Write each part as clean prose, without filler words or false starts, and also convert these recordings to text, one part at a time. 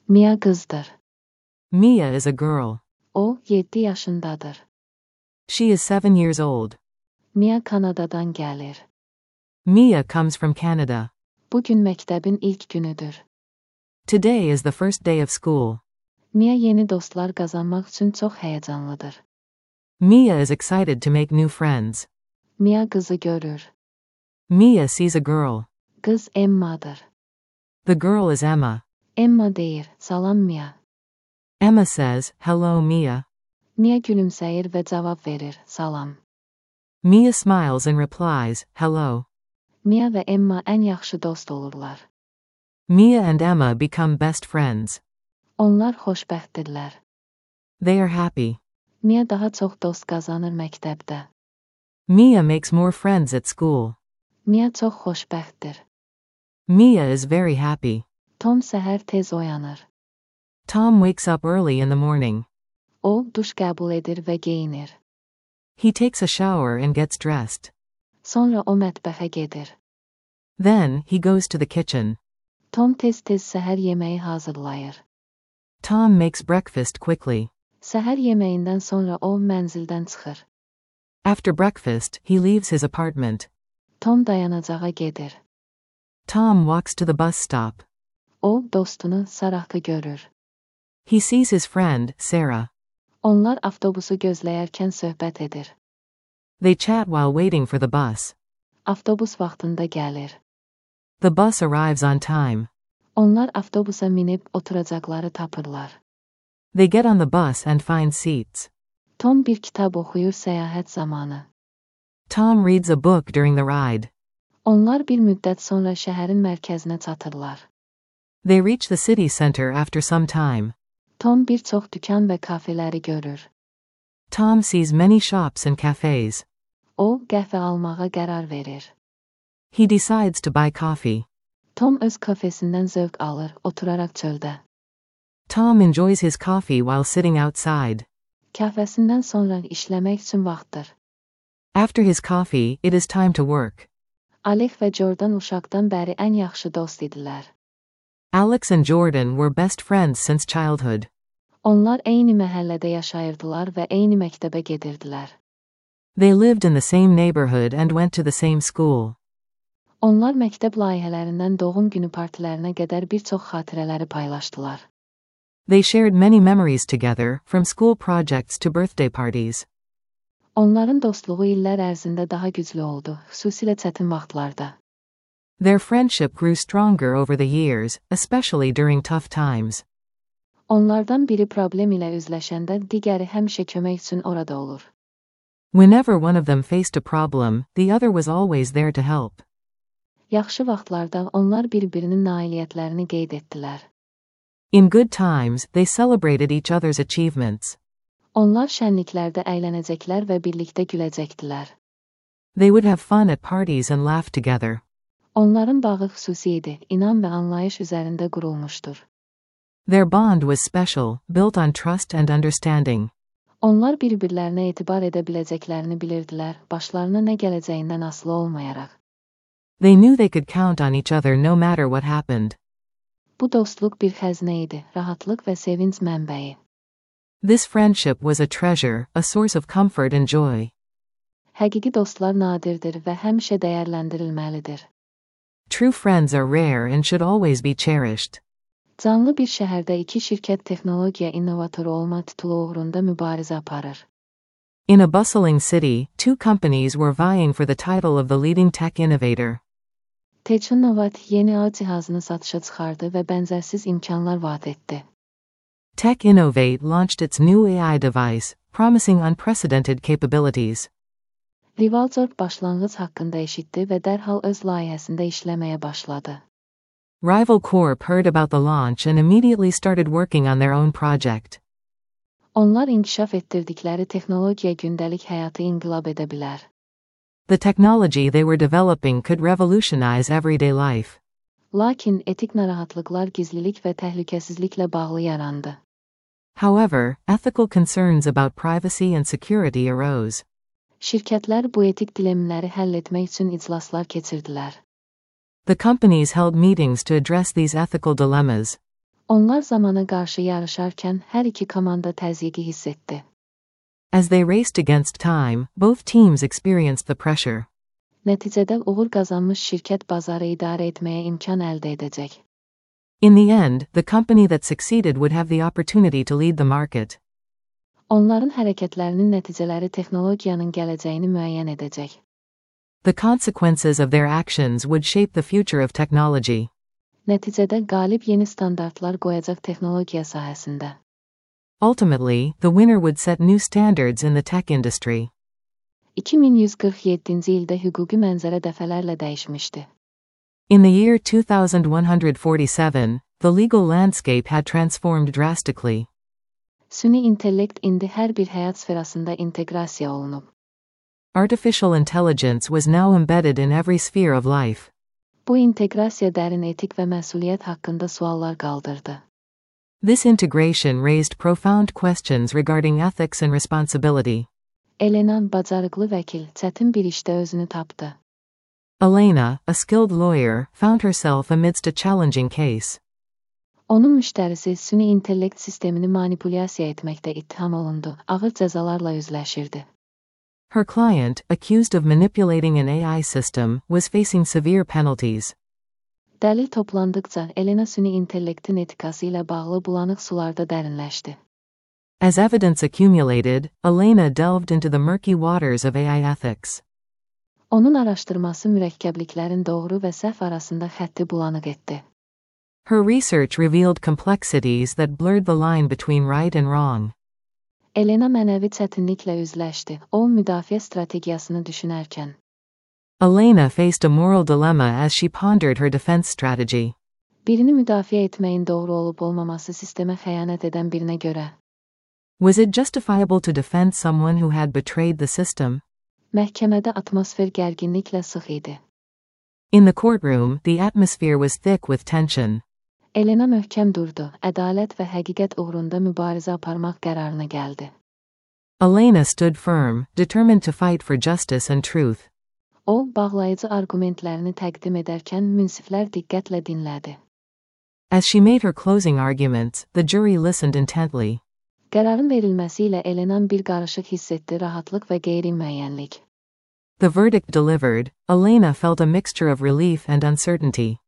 Mia kızdır. Mia is a girl. O 7 yaşındadır. She is 7 years old. Mia Kanada'dan gelir. Mia comes from Canada. Bugün mektebin ilk günüdür. Today is the first day of school. Mia yeni dostlar kazanmak için çok heyecanlıdır. Mia is excited to make new friends. Mia kızı görür. Mia sees a girl. Kız Emma'dır. The girl is Emma. Emma deyir, salam Mia. Emma says, hello Mia. Mia gülümseyir ve cevap verir, salam. Mia smiles and replies, hello. Mia ve Emma en yaxşı dost olurlar. Mia and Emma become best friends. Onlar xoşbəxtdirlər. They are happy. Mia daha çox dost qazanır məktəbdə. Mia makes more friends at school. Mia çox xoşbəxtdir. Mia is very happy. Tom səhər tez oyanır. Tom wakes up early in the morning. O, duş qəbul edir və geyinir. He takes a shower and gets dressed. Sonra o mətbəxə gedir. Then, he goes to the kitchen. Tom tez-tez səhər yeməyi hazırlayır. Tom makes breakfast quickly. Səhər yeməyindən sonra o mənzildən çıxır. After breakfast, he leaves his apartment. Tom dayanacağa gedir. Tom walks to the bus stop. O, dostunu Sarah'ı görür. He sees his friend, Sarah. Onlar avtobusu gözləyərkən söhbət edir. They chat while waiting for the bus. Avtobus vaxtında gəlir. The bus arrives on time. Onlar avtobusa minib oturacaqları tapırlar. They get on the bus and find seats. Tom bir kitab oxuyur səyahət zamanı. Tom reads a book during the ride. Onlar bir müddət sonra şəhərin mərkəzinə çatırlar. They reach the city center after some time. Tom bir çox dükan və kafeləri görür. Tom sees many shops and cafes. O, qəhvə almağa qərar verir. He decides to buy coffee. Tom öz kafesindən zövq alır, oturaraq çöldə. Tom enjoys his coffee while sitting outside. Kafesindən sonra işləmək üçün vaxtdır. After his coffee, it is time to work. Alex və Jordan uşaqdan bəri ən yaxşı dost idilər. Alex and Jordan were best friends since childhood. Onlar eyni məhəllədə yaşayırdılar və eyni məktəbə gedirdilər. They lived in the same neighborhood and went to the same school. Onlar məktəb layihələrindən doğum günü partilərinə qədər bir çox xatirələri paylaşdılar. They shared many memories together, from school projects to birthday parties. Onların dostluğu illər ərzində daha güclü oldu, xüsusilə çətin vaxtlarda. Their friendship grew stronger over the years, especially during tough times. Onlardan biri problem ilə üzləşəndə digəri həmişə kömək üçün orada olur. Whenever one of them faced a problem, the other was always there to help. Yaxşı vaxtlarda onlar bir-birinin nailiyyətlərini qeyd etdilər. In good times, they celebrated each other's achievements. Onlar şənliklərdə əylənəcəklər və birlikdə güləcəkdilər. They would have fun at parties and laugh together. Onların bağı xüsusi idi, inam və anlayış üzərində qurulmuşdur. Their bond was special, built on trust and understanding. Onlar bir-birlərinə etibar edə biləcəklərini bilirdilər, başlarına nə gələcəyindən asılı olmayaraq. They knew they could count on each other no matter what happened. Bu dostluq bir xəzinə idi, rahatlıq və sevinç mənbəyi. This friendship was a treasure, a source of comfort and joy. Həqiqi dostlar nadirdir və həmişə dəyərləndirilməlidir. True friends are rare and should always be cherished. Canlı bir şəhərdə iki şirkət texnologiya innovatoru olma titulu uğrunda mübarizə aparır. In a bustling city, two companies were vying for the title of the leading tech innovator. Technovat yeni ağ cihazını satışa çıxardı və bənzərsiz imkanlar vaat etdi. Tech Innovate launched its new AI device, promising unprecedented capabilities. Rivalcorp başlanğıc haqqında eşitdi və dərhal öz layihəsində işləməyə başladı. Rival Corp heard about the launch and immediately started working on their own project. Onlar inkişaf etdirdikləri texnologiya gündəlik həyatı inqilab edə bilər. The technology they were developing could revolutionize everyday life. Lakin etik narahatlıqlar gizlilik və təhlükəsizliklə bağlı yarandı. However, ethical concerns about privacy and security arose. Şirkətlər bu etik dilemləri həll etmək üçün iclaslar keçirdilər. The companies held meetings to address these ethical dilemmas. Onlar zamana qarşı yarışarkən hər iki komanda təzyiqi hiss etdi. As they raced against time, both teams experienced the pressure. Nəticədə uğur qazanmış şirkət bazarı idarə etməyə imkan əldə edəcək. In the end, the company that succeeded would have the opportunity to lead the market. Onların hərəkətlərinin nəticələri texnologiyanın gələcəyini müəyyən edəcək. The consequences of their actions would shape the future of technology. Nəticədə qalib yeni standartlar qoyacaq texnologiya sahəsində. Ultimately, the winner would set new standards in the tech industry. 2147-ci ildə hüquqi mənzərə dəfələrlə dəyişmişdi. In the year 2147, the legal landscape had transformed drastically. Süni intellekt indi hər bir həyat sferasında inteqrasiya olunub. Artificial intelligence was now embedded in every sphere of life. Bu inteqrasiya dərin etik və məsuliyyət haqqında suallar qaldırdı. This integration raised profound questions regarding ethics and responsibility. Elena, bacarıqlı vəkil, çətin bir işdə özünü tapdı. Elena, a skilled lawyer, found herself amidst a challenging case. Onun müştərisi süni intellekt sistemini manipulyasiya etməkdə ittiham olundu, ağır cəzalarla üzləşirdi. Her client, accused of manipulating an AI system, was facing severe penalties. Dəlil toplandıqca Elena süni intellektin etikası ilə bağlı bulanıq sularda dərinləşdi. As evidence accumulated, Elena delved into the murky waters of AI ethics. Onun araşdırması mürəkkəbliklərin doğru və səhv arasında xətti bulanıq etdi. Her research revealed complexities that blurred the line between right and wrong. Elena mənəvi çətinliklə üzləşdi, o müdafiə strategiyasını düşünərkən. Elena faced a moral dilemma as she pondered her defense strategy. Birini müdafiə etməyin doğru olub olmaması sistemə xəyanət edən birinə görə. Was it justifiable to defend someone who had betrayed the system? Məhkəmədə atmosfer gərginliklə sıx idi. In the courtroom, the atmosphere was thick with tension. Elena möhkəm durdu, ədalət və həqiqət uğrunda mübarizə aparmaq qərarına gəldi. Elena stood firm, determined to fight for justice and truth. O, bağlayıcı argumentlərini təqdim edərkən münsiflər diqqətlə dinlədi. As she made her closing arguments, the jury listened intently. Qərarın verilməsi ilə Elena bir qarışıq hiss etdi, rahatlıq və qeyri-müəyyənlik. The verdict delivered, Elena felt a mixture of relief and uncertainty.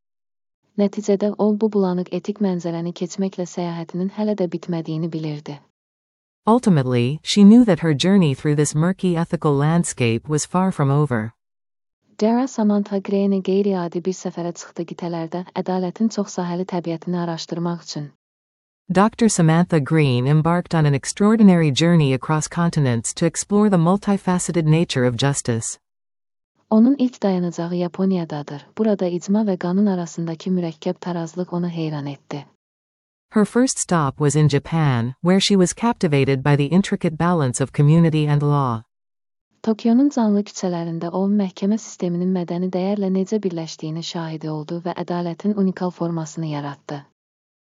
Nəticədə o bu bulanıq etik mənzərəni keçməklə səyahətinin hələ də bitmədiyini bilirdi. Ultimately, she knew that her journey through this murky ethical landscape was far from over. Dara Samantha Green qeyri-adi bir səfərə çıxdı qitələrdə ədalətin çoxsahəli təbiətini araşdırmaq üçün. Dr. Samantha Green embarked on an extraordinary journey across continents to explore the multifaceted nature of justice. Onun ilk dayanacağı Yaponiyadadır. Burada icma və qanun arasındakı mürəkkəb tarazlıq onu heyran etdi. Her first stop was in Japan, where she was captivated by the intricate balance of community and law. Tokionun canlı küçələrində o, məhkəmə sisteminin mədəni dəyərlə necə birləşdiyini şahidi oldu və ədalətin unikal formasını yarattı.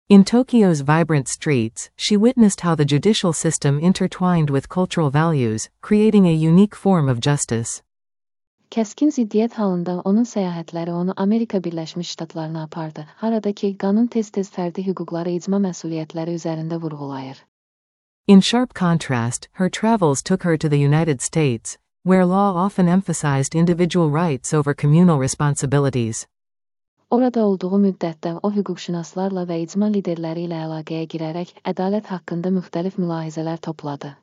In Tokyo's vibrant streets, she witnessed how the judicial system intertwined with cultural values, creating a unique form of justice. Kəskin ziddiyyət halında onun səyahətləri onu Amerika Birləşmiş Ştatlarına apardı, haradakı qanun tez-tez fərdi hüquqları icma məsuliyyətləri üzərində vurğulayır. In sharp contrast, her travels took her to the United States, where law often emphasized individual rights over communal responsibilities. Orada olduğu müddətdə o hüquqşünaslarla və icma liderləri ilə əlaqəyə girərək ədalət haqqında müxtəlif mülahizələr topladı.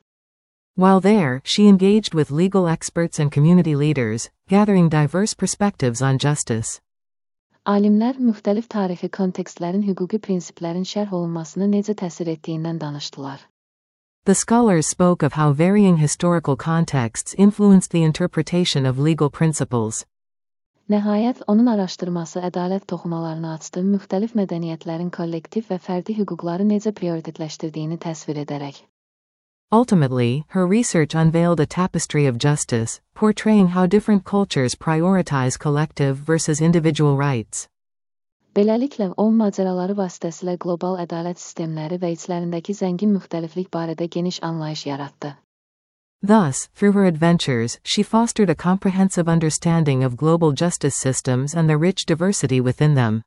While there, she engaged with legal experts and community leaders, gathering diverse perspectives on justice. Alimlər müxtəlif tarixi kontekstlərin hüquqi prinsiplərin şərh olunmasına necə təsir etdiyindən danışdılar. The scholars spoke of how varying historical contexts influenced the interpretation of legal principles. Nəhayət, onun araşdırması ədalət toxumalarını açdı, müxtəlif mədəniyyətlərin kollektiv və fərdi hüquqları necə prioritetləşdirdiyini təsvir edərək. Ultimately, her research unveiled a tapestry of justice, portraying how different cultures prioritize collective versus individual rights. Beləliklə, o macəraları vasitəsilə qlobal ədalət sistemləri və içlərindəki zəngin müxtəliflik barədə geniş anlayış yaratdı. Thus, through her adventures, she fostered a comprehensive understanding of global justice systems and the rich diversity within them.